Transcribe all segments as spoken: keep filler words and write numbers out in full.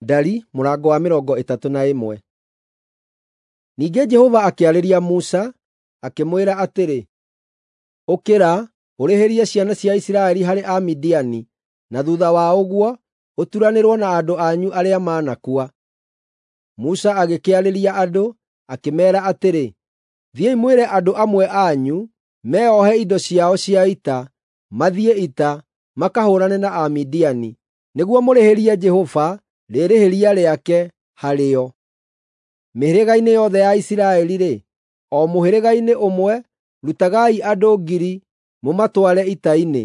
Ndari mũrango wa mĩrongo ĩtatũ na ĩmwe. Ningĩ Jehova akĩarĩria Musa, akĩmwĩra atĩrĩ, “Ũkĩra, ũrĩhĩrie ciana cia Isiraeli harĩ Amidiani, na thuutha wa ũguo ũturanĩrwo na andũ anyu arĩa manakua.” Musa agĩkĩarĩria andũ, akĩmeera atĩrĩ, “Thiĩi mwĩre andũ amwe anyu meeohe indo ciao cia ita, mathiĩ ita, makahũũrane na Amidiani, nĩguo mũrĩhĩrie Jehova rĩĩrĩhĩria rĩake harĩo. Mĩhĩrĩga-inĩ yothe ya Isiraeli-rĩ, o mũhĩrĩga-inĩ ũmwe rutagai andũ ngiri mũmatware ita-inĩ.”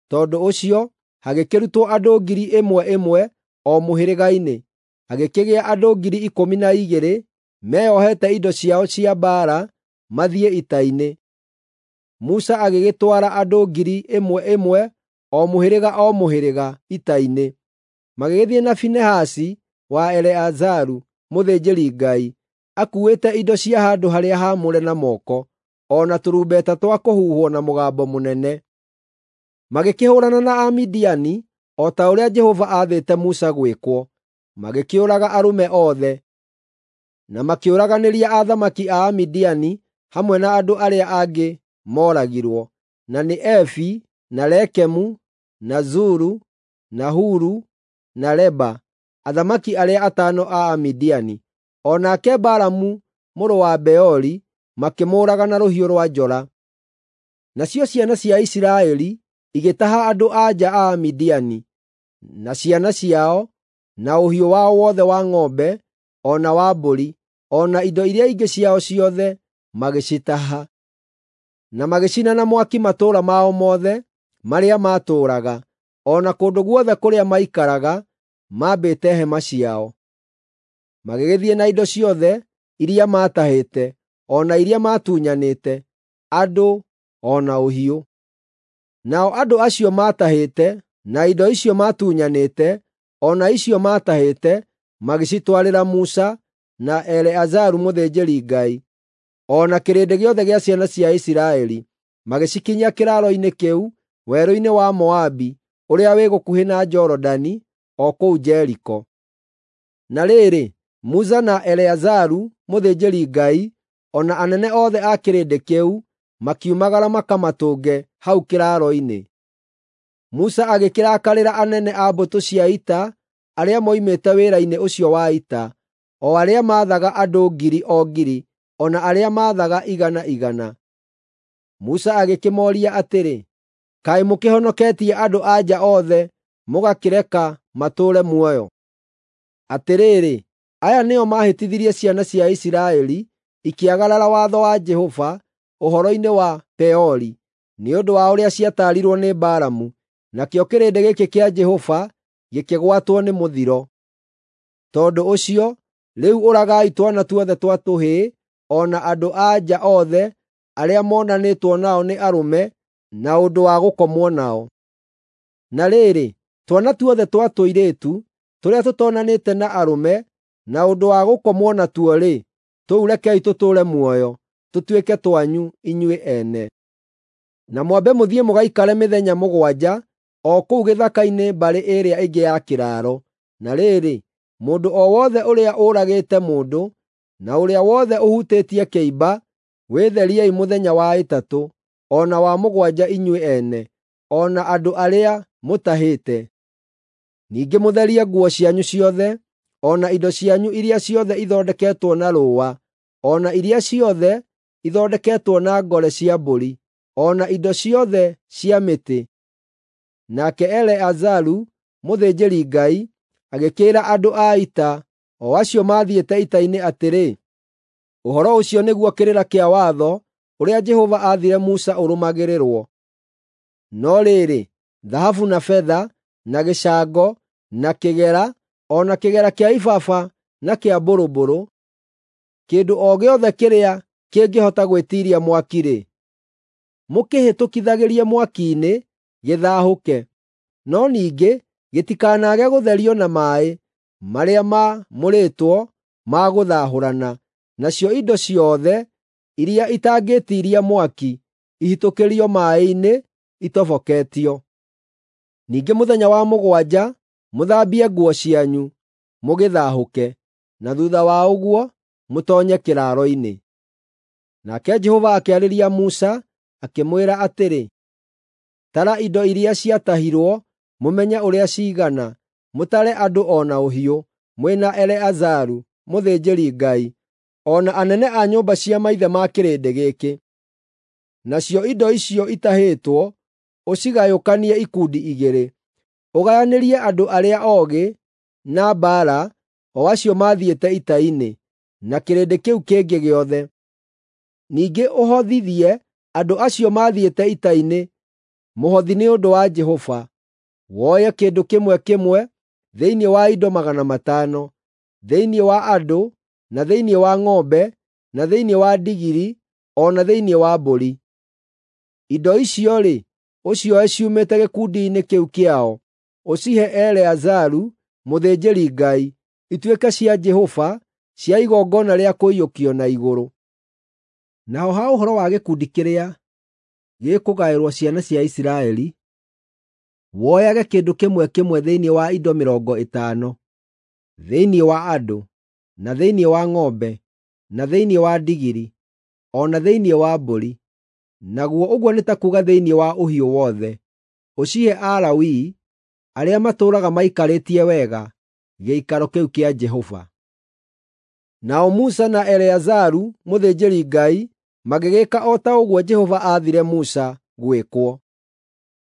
Tondũ ũcio hagĩkĩrutwo andũ ngiri ĩmwe ĩmwe o mũhĩrĩga-inĩ, hagĩkĩgĩa andũ ngiri ikũmi na igĩrĩ meeohete indo ciao cia mbaara mathiĩ ita-inĩ. Musa agĩgĩtwara andũ ngiri ĩmwe ĩmwe o mũhĩrĩga o mũhĩrĩga ita-inĩ. Magĩgĩthiĩ na Finehasi wa Eleazaru mũthĩnjĩri-Ngai, akuuĩte indo cia handũ-harĩa-haamũre na moko, o na tũrumbeta twa kũhuhwo na mũgambo mũnene. Magĩkĩhũũrana na Amidiani o ta ũrĩa Jehova aathĩte Musa gwĩkwo, magĩkĩũraga arũme othe, na makĩũraganĩria athamaki a Amidiani hamwe na andũ arĩa angĩ mooragirwo, na nĩ Evi, na Rekemu, na Zuru, na Huru, na Reba, athamaki arĩa atano a Amidiani. O nake Balamu mũrũ wa Beori makĩmũũraga na rũhiũ rwa njora. Nacio ciana cia Isiraeli igĩtaha andũ-a-nja a Amidiani, na ciana ciao, na ũhiũ wao wothe wa ng'ombe o na wa mbũri, o na indo iria ingĩ ciao ciothe magĩcitaha. Na magĩcina na mwaki matũũra mao mothe marĩa maatũũraga, o na kũndũ guothe kũrĩa maikaraga maambĩte hema ciao. Magĩgĩthiĩ na indo ciothe iria maatahĩte, o na iria maatunyanĩte, andũ o na ũhiũ. Nao andũ acio maatahĩte, na indo icio maatunyanĩte, o na icio maatahĩte, magĩcitwarĩra Musa na Eleazaru mũthĩnjĩri-Ngai, o na kĩrĩndĩ gĩothe gĩa ciana cia Isiraeli, magĩcikinyia kĩraaro-inĩ kĩu werũ-inĩ wa Moabi ũrĩa wĩ gũkuhĩ na Jorodani, o kũu Jeriko. Na rĩrĩ, Musa na Eleazaru mũthĩnjĩri-Ngai, o na anene othe a kĩrĩndĩ kĩu makiumagara makamatũnge hau kĩraaro-inĩ. Musa agĩkĩrakarĩra anene a mbũtũ cia ita arĩa moimĩte wĩra-inĩ ũcio wa ita, o arĩa maathaga andũ ngiri o ngiri, o na arĩa maathaga igana igana. Musa agĩkĩmooria atĩrĩ, “Kaĩ mũkĩhonoketie andũ-a-nja othe mũgakĩreka matũũre muoyo? Atĩrĩrĩ, aya nĩo maahĩtithirie ciana cia Isiraeli ikĩagarara watho wa Jehova ũhoro-inĩ wa Peori, nĩ ũndũ wa ũrĩa ciataarirwo nĩ Balamu, nakĩo kĩrĩndĩ gĩkĩ kĩa Jehova gĩkĩgwatwo nĩ mũthiro. Tondũ ũcio, rĩu ũragai twana tuothe twa tũhĩĩ o na andũ-a-nja othe arĩa monanĩtwo nao nĩ arũme na ũndũ wa gũkomwo nao. Na rĩrĩ, twana tuothe twa tũirĩtu tũrĩa tũtonanĩte na arũme na ũndũ wa gũkomwo natuo-rĩ, tũu rekei tũtũũre muoyo, tũtuĩke twanyu inyuĩ ene. Na mwambe mũthiĩ mũgaikare mĩthenya mũgwanja o kũu gĩthaka-inĩ mbarĩ ĩrĩa ĩngĩ ya kĩraaro. Na rĩrĩ, mũndũ o wothe ũrĩa ũragĩte mũndũ, na ũrĩa wothe ũhutĩtie kĩimba, wĩtheriei mũthenya wa ĩtatũ o na wa mũgwanja inyuĩ ene, o na andũ arĩa mũtahĩte. Ningĩ mũtherie nguo cianyu ciothe, o na indo cianyu iria ciothe ithondeketwo na rũũa, o na iria ciothe ithondeketwo na ngore cia mbũri, o na indo ciothe cia mĩtĩ.” Nake Eleazaru mũthĩnjĩri-Ngai agĩkĩĩra andũ a ita, o acio maathiĩte ita-inĩ atĩrĩ, “Ũhoro ũcio nĩguo kĩrĩra kĩa watho ũrĩa Jehova aathire Musa ũrũmagĩrĩrwo. No rĩrĩ, thahabu na betha, na gĩcango, na kĩgera, o na kĩgera kĩa ibaba na kĩa mbũrũmbũrũ, kĩndũ o gĩothe kĩrĩa kĩngĩhota gwĩtiiria mwaki-rĩ, mũkĩhĩtũkithagĩrie mwaki-inĩ gĩthaahũke, no ningĩ gĩtikanaage gũtherio na maaĩ marĩa maamũrĩtwo ma gũthaahũrana. Nacio indo ciothe iria itangĩĩtiiria mwaki ihĩtũkĩrio maaĩ-inĩ itoboketio. Ningĩ mũthenya wa mũgwanja mũthambie nguo cianyu, mũgĩthahũke, na thuutha wa ũguo mũtoonye kĩraaro-inĩ.” Nake Jehova akĩarĩria Musa, akĩmwĩra atĩrĩ, “Tara indo iria ciatahirwo, mũmenye ũrĩa ciigana, mũtare andũ o na ũhiũ, mwĩ na Eleazaru, mũthĩnjĩri-Ngai, o na anene a nyũmba cia maithe ma kĩrĩndĩ gĩkĩ. Nacio indo icio itahĩtwo ũcigayũkanie ikundi igĩrĩ, ũgayanĩrie andũ arĩa oogĩ na mbaara, o acio maathiĩte ita-inĩ, na kĩrĩndĩ kĩu kĩngĩ gĩothe. Ningĩ ũhothithie andũ acio maathiĩte ita-inĩ mũhothi nĩ ũndũ wa Jehova, woye kĩndũ kĩmwe kĩmwe thĩinĩ wa indo magana matano, thĩinĩ wa andũ, na thĩinĩ wa ng'ombe, na thĩinĩ wa ndigiri, o na thĩinĩ wa mbũri. Indo icio-rĩ, ũcioe ciumĩte gĩkundi-inĩ kĩu kĩao, ũcihe Eleazaru mũthĩnjĩri-Ngai, ituĩke cia Jehova, cia igongona rĩa kũiyũkio na igũrũ. Naho ha ũhoro wa gĩkundi kĩrĩa gĩkũgaĩrwo ciana cia Isiraeli, woyage kĩndũ kĩmwe kĩmwe thĩinĩ wa indo mĩrongo ĩtano, thĩinĩ wa andũ, na thĩinĩ wa ng'ombe, na thĩinĩ wa ndigiri, o na thĩinĩ wa mbũri, naguo ũguo nĩ ta kuuga thĩinĩ wa ũhiũ wothe, ũcihe Alawii arĩa matũũraga maikarĩtie wega gĩikaro kĩu kĩa Jehova.” Nao Musa na Eleazaru mũthĩnjĩri-Ngai magĩgĩka o ta ũguo Jehova aathire Musa gwĩkwo.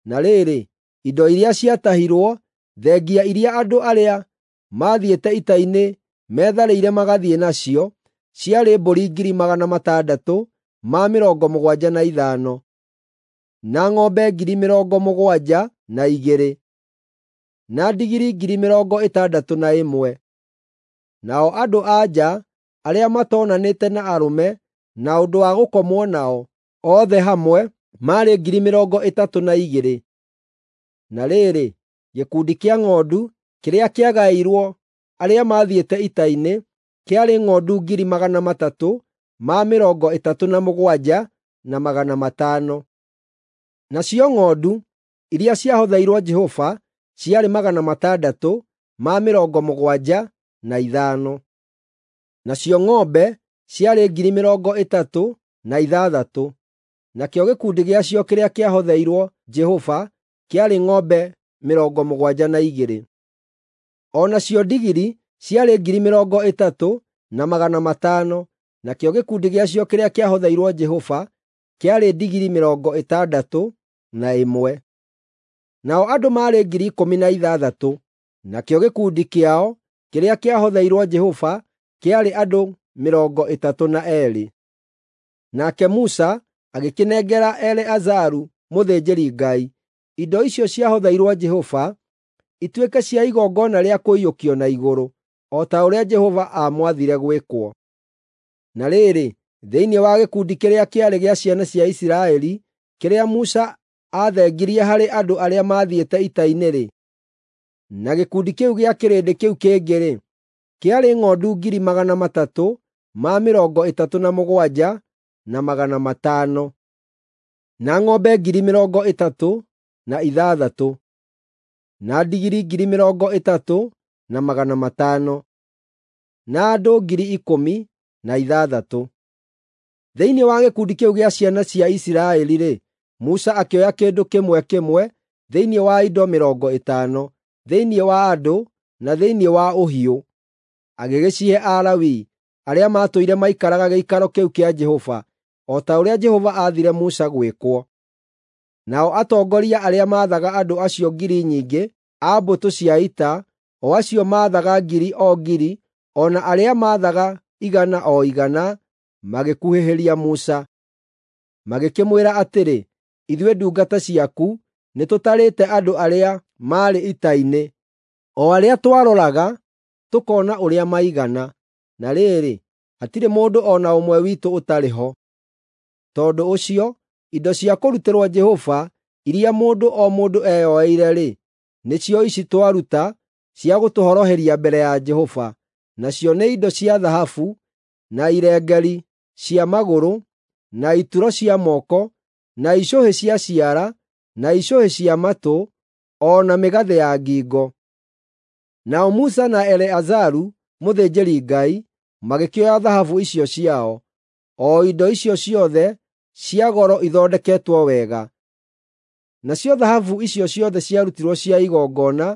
Na rĩrĩ, indo iria ciatahirwo, thengia iria andũ arĩa maathiĩte ita-inĩ metharĩire magathiĩ nacio, ciarĩ mbũri ngiri magana matandatũ ma mĩrongo mũgwanja na ithano, na ng'ombe ngiri mĩrongo mũgwanja na igĩrĩ, na ndigiri ngiri mĩrongo ĩtandatũ na ĩmwe. Nao andũ-a-nja arĩa matoonanĩte na arũme na ũndũ wa gũkomwo nao, othe hamwe maarĩ ngiri mĩrongo ĩtatũ na igĩrĩ. Na rĩrĩ, gĩkundi kĩa ng'ondu kĩrĩa kĩagaĩirwo arĩa maathiĩte ita-inĩ kĩarĩ ng'ondu ngiri magana matatũ ma mĩrongo ĩtatũ na mũgwanja na magana matano. Nacio ng'ondu iria ciahotheirwo Jehova ciarĩ magana matandatũ ma mĩrongo mũgwanja na ithano. Nacio ng'ombe ciarĩ ngiri mĩrongo ĩtatũ na ithathatũ, nakĩo gĩkundi gĩacio kĩrĩa kĩahotheirwo Jehova kĩarĩ ng'ombe mĩrongo mũgwanja na igĩrĩ. O nacio ndigiri ciarĩ ngiri mĩrongo ĩtatũ na magana matano, nakĩo gĩkundi gĩacio kĩrĩa kĩahotheirwo Jehova kĩarĩ ndigiri mĩrongo ĩtandatũ na ĩmwe. Nao andũ maarĩ ngiri ikũmi na ithathatũ, nakĩo gĩkundi kĩao kĩrĩa kĩahotheirwo Jehova kĩarĩ andũ mĩrongo ĩtatũ na eerĩ. Nake Musa agĩkĩnengera Eleazaru mũthĩnjĩri-Ngai indo icio ciahotheirwo Jehova ituĩke cia igongona rĩa kũiyũkio na igũrũ, o ta ũrĩa Jehova aamwathire gwĩkwo. Na rĩrĩ, thĩinĩ wa gĩkundi kĩrĩa kĩarĩ gĩa ciana cia Isiraeli, kĩrĩa Musa aathengirie harĩ andũ arĩa maathiĩte ita-inĩ-rĩ, na gĩkundi kĩu gĩa kĩrĩndĩ kĩu kĩngĩ-rĩ, kĩarĩ ng'ondu ngiri magana matatũ ma mĩrongo ĩtatũ na mũgwanja na magana matano, na ng'ombe ngiri mĩrongo ĩtatũ na ithathatũ, na ndigiri ngiri mĩrongo ĩtatũ na magana matano, na andũ ngiri ikũmi na ithathatũ. Thĩinĩ wa gĩkundi kĩu gĩa ciana cia Isiraeli-rĩ, Musa akĩoya kĩndũ kĩmwe kĩmwe thĩinĩ wa indo mĩrongo ĩtano, thĩinĩ wa andũ na thĩinĩ wa ũhiũ, agĩgĩcihe Alawii arĩa maatũire maikaraga gĩikaro kĩu kĩa Jehova, o ta ũrĩa Jehova aathire Musa gwĩkwo. Nao atongoria arĩa maathaga andũ acio ngiri nyingĩ a mbũtũ cia ita, o acio maathaga ngiri o ngiri, o na arĩa maathaga igana o igana, magĩkuhĩhĩria Musa. Magĩkĩmwĩra atĩrĩ, “Ithuĩ ndungata ciaku nĩtũtarĩte andũ arĩa maarĩ ita-inĩ, o arĩa twaroraga tũkoona ũrĩa maigana, na rĩrĩ, hatirĩ mũndũ o na ũmwe witũ ũtarĩ ho. Tondũ ũcio, indo cia kũrutĩrwo Jehova iria mũndũ o mũndũ eyoeire-rĩ, nĩcio ici twaruta cia gũtũhoroheria mbere ya Jehova, nacio nĩ indo cia thahabu, na irengeri cia magũrũ, na ituro cia moko, na icũhĩ cia ciara, na icũhĩ cia matũ, o na mĩgathĩ ya ngingo. Nao Musa na Eleazaru mũthĩnjĩri-Ngai magĩkĩoya thahabu icio ciao, o indo icio ciothe cia goro ithondeketwo wega. Nacio thahabu icio ciothe ciarutirwo cia igongona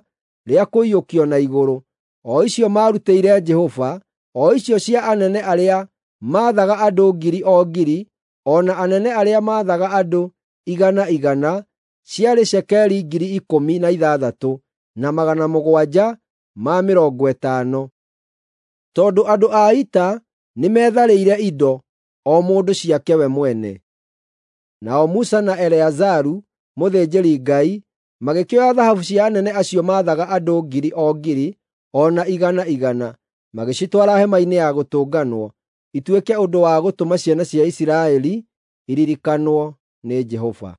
rĩa kũiyũkio na igũrũ, o icio maarutĩire Jehova, o icio cia anene arĩa maathaga andũ ngiri o ngiri, o na anene arĩa maathaga andũ igana igana, ciarĩ cekeri ngiri ikũmi na ithathatũ na magana mũgwanja ma mĩrongo ĩtano. Tondũ andũ a ita nĩmetharĩire indo, o mũndũ ciake we mwene. Nao Musa na Eleazaru mũthĩnjĩri-Ngai magĩkĩoya thahabu cia anene acio maathaga andũ ngiri o ngiri, o na igana igana, magĩcitwara hema-inĩ ya gũtũnganwo, ituĩke ũndũ wa gũtũma ciana cia Isiraeli iririkanwo nĩ Jehova.